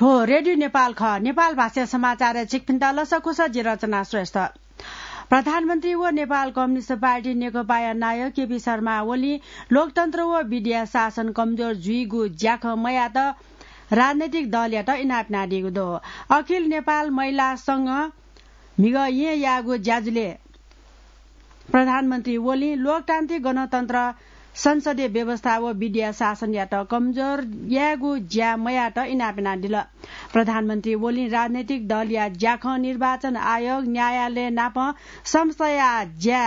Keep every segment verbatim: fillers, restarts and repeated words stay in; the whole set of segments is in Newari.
थ्व रेडियो नेपाल खः। नेपाल भाषा समाचारय् छिकपिन्त लसकुस, जि रचना श्रेष्ठ। प्रधानमन्त्री व नेपाल कम्युनिस्ट पार्टी नेकपाया नायः केपी शर्मा ओलीं लोकतन्त्र व विधिया शासन कमजोर जुइगु ज्याखँ मयात राजनैतिक दलयात इनाप यानादीगु दु। अखिल नेपाल महिला संघ म्हिगः येँ याःगु ज्याझ्वलय् प्रधानमन्त्री ओलीं लोकतान्त्रिक गणतन्त्र, संसदीय व्यवस्था व विधिया शासनयात कमजोर यायेगु ज्या मयात इनाप यानादिल। प्रधानमन्त्री ओलीं राजनैतिक दलया ज्याखँ, निर्वाचन आयोग, न्यायालय नाप संस्थाया ज्या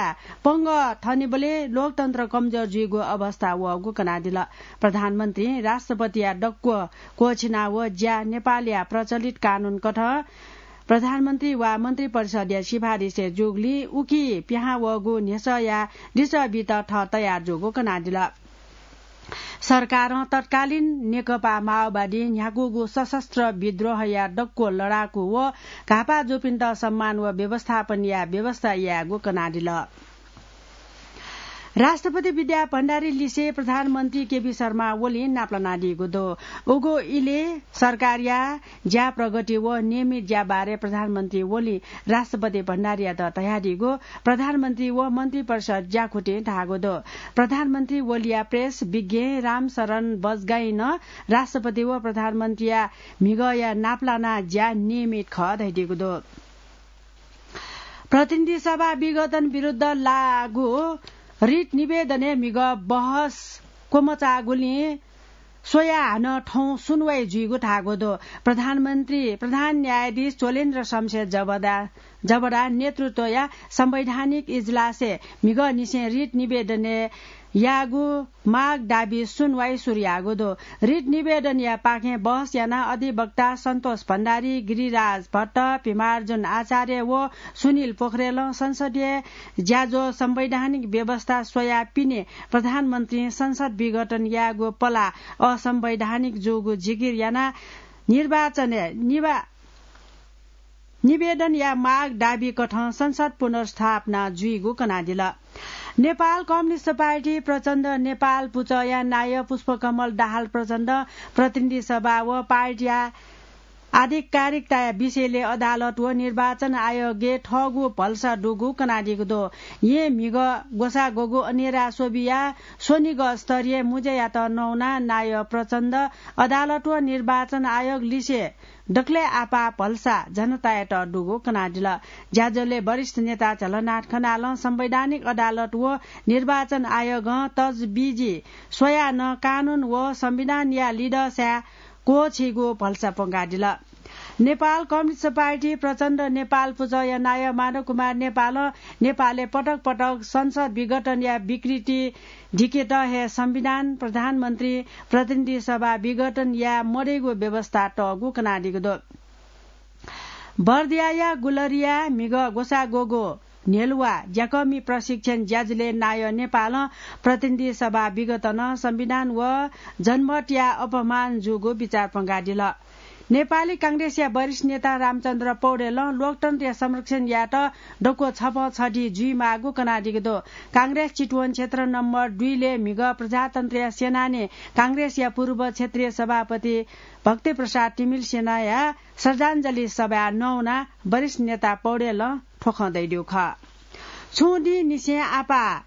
पंगः थनिबलय् लोकतन्त्र कमजोर जुइगु अवस्था वःगु कनादिल। प्रधानमन्त्रीं राष्ट्रपतिया दक्व क्वःछिना व ज्या नेपालया प्रचलित कानून कथं प्रधानमन्त्री वा मन्त्री परिषदया सिफारिसय् जूगुलिं उकी पिहां वःगु न्ह्यसःया लिसः बीत थः तयार जूगु कनादिल। सरकारं तत्कालीन नेकपा माओवादीं न्ह्याकूगु सशस्त्र विद्रोहया दक्व लडाकू व घाःपाः जूपिन्त सम्मान व व्यवस्थापन याये व्यवस्था यायेगु कनादिल। राष्ट्रपति विद्या भण्डारी लिसे प्रधानमन्त्री केपी शर्मा ओलीं नापलानादीगु दु। उगु इलय् सरकारया ज्या प्रगति व नियमित ज्या बारे प्रधानमन्त्री ओलीं राष्ट्रपति भण्डारीयात धयादीगु प्रधानमन्त्री व मन्त्री परिषद ज्याखुतिं धाःगु दु। प्रधानमन्त्री ओलीया प्रेस विज्ञ रामशरण बजगाईं नं राष्ट्रपति व प्रधानमन्त्रीया म्हिगःया नापलाना ज्या नियमित खः धयादीगु दु। प्रतिनिधि सभा विघटन विरुद्ध लाःगु रिट निवेदनय् म्हिगः बहस क्वमचाःगुलिं स्वयाः हानं थौं सुनवाई जुइगु धाःगु दु। प्रधानमन्त्री, प्रधान न्यायाधीश चोलेन्द्र शमशेर जबडा, जबडा नेतृत्वया संवैधानिक इजलासय् म्हिगःनिसें रिट निवेदनय् याःगु माग दाबी सुनवाई सुरु याःगु दु। रिट निवेदनया पाखें बहस यानाः अधिवक्ता सन्तोष भण्डारी, गिरिराज भट्ट, भिमार्जुन आचार्य व सुनिल पोखरेलं संसदीय ज्याझ्वः संवैधानिक व्यवस्था स्वयाः पिने प्रधानमन्त्रीं संसद विघटन यायेगु पलाः असंवैधानिक जूगु जिकिर यानाः निर्वाचनय् निवा-, निवेदनया माग दाबी कथं संसद पुनर्स्थापना जुइगु कनादिल। नेपाल कम्युनिस्ट पार्टी प्रचण्ड नेपाल पुचःया नायः पुष्पकमल दाहाल प्रचण्ड प्रतिनिधि सभा व पार्टीया आधिकारिकताया विषयलय् अदालत व निर्वाचन आयोगय् थःगु भलसा दुगु कनादीगु दु। येँ म्हिगः ग्वसाः ग्वःगु अनेरा स्वबिया स्वनिगः स्तरीय मुँज्यायात नवानाः नायः प्रचण्ड अदालत व निर्वाचन आयोग लिसे दकलय् आपाः भलसा जनतायात दुगु कनादिल। ज्याझ्वलय् वरिष्ठ नेता झलनाथ खनालं संवैधानिक अदालत व निर्वाचन आयोगं तजबिजी स्वयाः नं कानून व संविधानया लिधःसाय् क्वःछीगु भलसा प्वंकादिल। नेपाल कम्युनिस्ट पार्टी प्रचण्ड नेपाल पुचःया नायः माधव कुमार नेपालं नेपालय् पटक पटक संसद विघटनया विकृति धिकेत हे संविधान, प्रधानमन्त्री, प्रतिनिधि सभा विघटन याये मदइगु व्यवस्था तःगु कनादीगु दु। बर्दियाया गुलरिया म्हिगः ग्वसाः ग्वःगु न्ह्यलुवा ज्याकःमि प्रशिक्षण ज्याझ्वलय् नायः नेपालं प्रतिनिधि सभा विघटनं संविधान व जनमतया अपमान जूगु बिचाः प्वंकादिल। नेपाली कांग्रेसया वरिष्ठ नेता रामचन्द्र पौडेलं लोकतन्त्रया संरक्षण यायेत दक्व छपं छधी जुइमाःगु कनादीगु दु। कांग्रेस चितवन क्षेत्र नम्बर दुईलय् म्हिगः प्रजातन्त्रया सेनानी कांग्रेसया पूर्व क्षेत्रीय सभापति भक्तिप्रसाद तिमिल्सिनाया श्रद्धाञ्जली सभाय् नवानाः वरिष्ठ नेता पौडेलं थ्व खँ धयादीगु खः। छुं दिंनिसें आपाः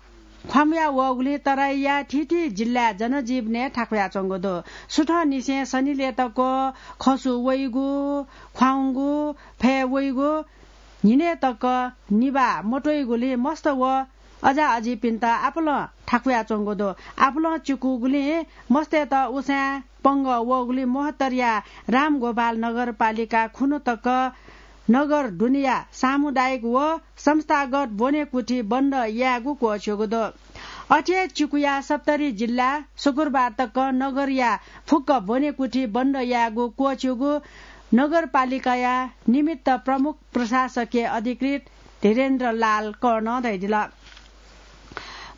ख्वामुया वःगुलिं तराईया थीथी जिल्लाय् जनजीवनय् थाकुयाच्वंगु दु। सुथंनिसें सनिलय् तक खसु वइगु, ख्वाउँगु, फय् वइगु, न्हिनय् तक निभाः मत्वइगुलिं मस्त व अजाअजिपिन्त आपालं थाकुयाच्वंगु दु। आपालं चिकुगुलिं मस्तय्त उसाँय् पंगः वःगुलिं मोहतरिया रामगोपाल नगरपालिका खुन्हु तक नगर दुनेया सामुदायिक व संस्थागत ब्वनेकुथि बन्द यायेगु क्वःछ्यूगु दु। अथे हे चिकुया सप्तरी जिल्ला शुक्रबार तक नगरया फुक्क ब्वनेकुथि बन्द यायेगु क्वःछ्यूगु नगरपालिकाया निमित्त प्रमुख प्रशासकीय अधिकृत धीरेन्द्र लाल कर्णं धयादिल।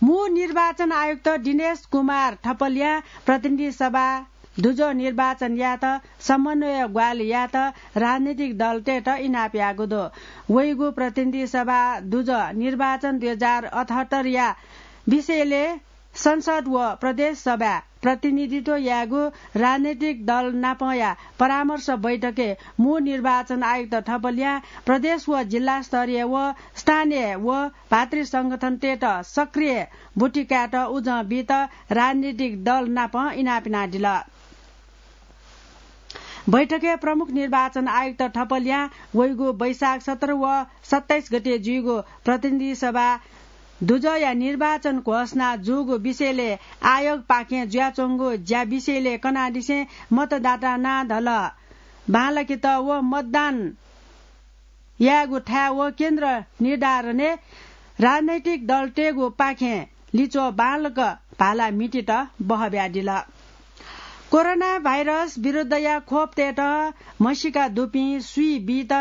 मू निर्वाचन आयुक्त दिनेश कुमार थपलियां प्रतिनिधि सभा दुजः निर्वाचन यायेत समन्वय ग्वाहालि यायेत राजनीतिक दलतय्त इनाप याःगु दु। वइगु प्रतिनिधि सभा दुजः निर्वाचन दुई हजार अठहत्तरया विषयलय् संसद व प्रदेश सभाय् प्रतिनिधित्व यायेगु राजनैतिक दल नापंया परामर्श बैठकय् मू निर्वाचन आयुक्त थपलियां प्रदेश व जिल्ला स्तरीय व स्थानीय व भातृ संगठनतय्त सक्रिय बुटी कायेत उजं बीत राजनैतिक दल नाप इनाप यानादिल। बैठकय् प्रमुख निर्वाचन आयुक्त थपलियां वइगु वैशाख सत्र व सत्ताइस गते जुइगु प्रतिनिधि सभा दुजःया निर्वाचन घोषणा जूगु विषयलय् आयोगपाखें जुयाच्वंगु ज्या विषयलय् कनादिसें मतदाता नां धल बांलाकेत व मतदान यायेगु थाय् व केन्द्र निर्धारणय् राजनैतिक दलतय्गु पाखें लिच्वः बांलाक भाला म्हितेत बहः बियादिल। कोरोना भाइरस विरुद्धया खोप तयेत म्हसीका दुपिं सुइ बीत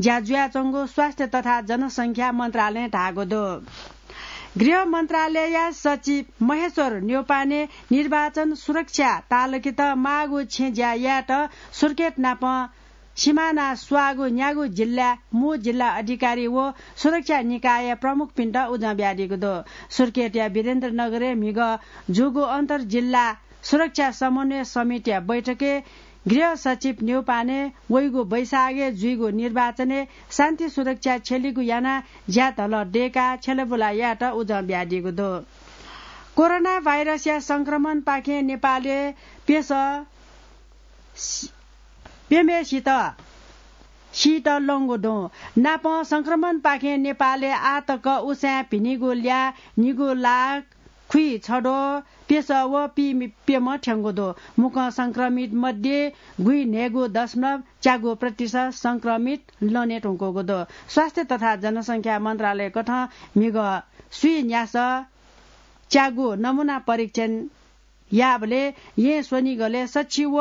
ज्या जुयाच्वंगु स्वास्थ्य तथा जनसंख्या मन्त्रालयं धाःगु दु। गृह मन्त्रालयया सचिव महेश्वर न्यौपाने निर्वाचन सुरक्षा तालकेत माःगु छेँ ज्या यायेत सुर्खेत नाप सिमाना स्वाःगु न्यागू जिल्ला मू जिल्ला अधिकारी व सुरक्षा निकायया प्रमुखपिन्त उजं बियादीगु दु। सुर्खेतया वीरेन्द्रनगरय् म्हिगः जूगु अन्तर्जिल्ला सुरक्षा समन्वय समितिया बैठकय् गृह सचिव न्यौपाने वइगु वैशाखय् जुइगु निर्वाचनय् शान्ति सुरक्षा छ्यलीगु यानाः ज्या धलः दय्काः छ्यलाबुला यायेत उजं बियादीगु दु। कोरोना भाइरसया संक्रमणपाखें नेपालय् प्यसः प्यम्हेसित सीत लंगु दु। नापं संक्रमणपाखें नेपालय् आः तक उसाँय् भिनिगु ल्याः निगू लाख खुइछद्वः प्यसः व पीप्यम्ह थ्यंगु दु। मुक्कं संक्रमित मध्ये गुइन्हय्गू दशमलव च्यागू प्रतिशत संक्रमित लने धुंकूगु दु। स्वास्थ्य तथा जनसंख्या मन्त्रालयकथं म्हिगः सुइ न्यासः च्यागू नमूना परीक्षण याःबलय् येँ स्वनिगलय् सछि व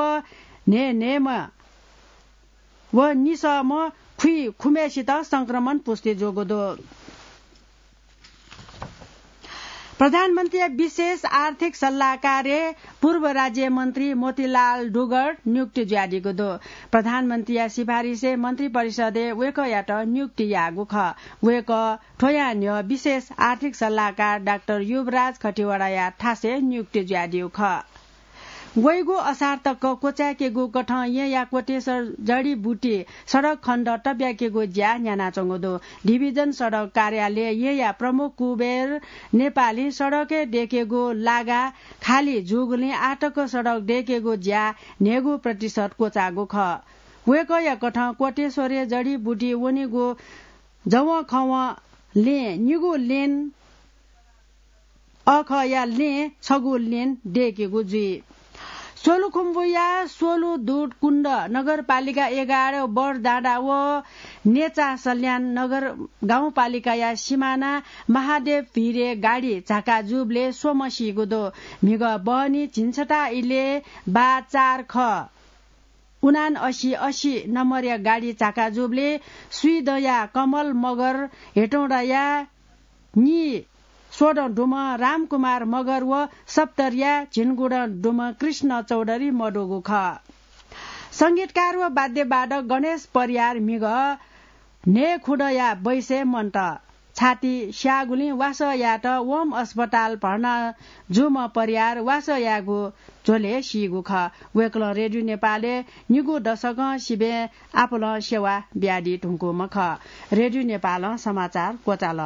न्हय्न्हय्म्ह व निसःम्ह खुइखुम्हेसित संक्रमण पुष्टि जूगु दु। प्रधानमन्त्रीया विशेष आर्थिक सल्लाहकारय् पूर्व राज्यमन्त्री मोतीलाल डुगर्ड नियुक्ति जुयादीगु दु। प्रधानमन्त्रीया सिफारिसय् मन्त्रिपरिषदय् वय्कःयात नियुक्ति याःगु खः। वय्कः थ्वयां न्ह्यः विशेष आर्थिक सल्लाहकार डाक्टर युवराज खतिवडाया थासय् नियुक्ति जुयादीगु खः। वइगु असार तक क्वचाय्केगु कथं येँया कोटेश्वर जडीबुटी सडक खण्ड तब्याकेगु ज्या न्ह्यानाच्वंगु दु। डिभिजन सडक कार्यालय येँया प्रमुख कुबेर नेपालीं सडकय् दय्केगु लागा खाली जूगुलिं आःतक सडक दय्केगु ज्या न्हय्गू प्रतिशत क्वचाःगु खः। वय्कःया कथं कोटेश्वरय् जडीबुटी वनेगु जवंखवं लें निगू लेन अःखःया लें छगू लेन दय्केगु जुइ। सोलुखुम्बुया सोलुदुधकुण्ड नगरपालिका एघार बरडाँडा व नेचासल्यान नगर गाउँपालिकाया सिमाना महादेव भिरय् गाडी झाका जूबलय् स्वम्ह सीगु दु। म्हिगः बहनी झिंछता इलय् बा चार ख उनान्असी असी नम्बरया गाडी झाका जूबलय् स्वीदँया कमल मगर, हेटौँडाया नीस्वदँ दुम्ह रामकुमार मगर व सप्तरीया झिंगुदँ दुम्ह कृष्ण चौधरी मदुगु खः। संगीतकार व वाद्यवादक गणेश परियार म्हिगः न्हय्खुदँया बैसय् मन्त। छाती स्याःगुलिं वासः यायेत वहम अस्पताल भर्ना जूम्ह परियार वासः यायेगु झ्वलय् सीगु खः। वय्कलं रेडियो नेपालय् निगू दशकं सिबें आपालं सेवा बियादी धुंकूम्ह खः। रेडियो नेपालं समाचार क्वचाल।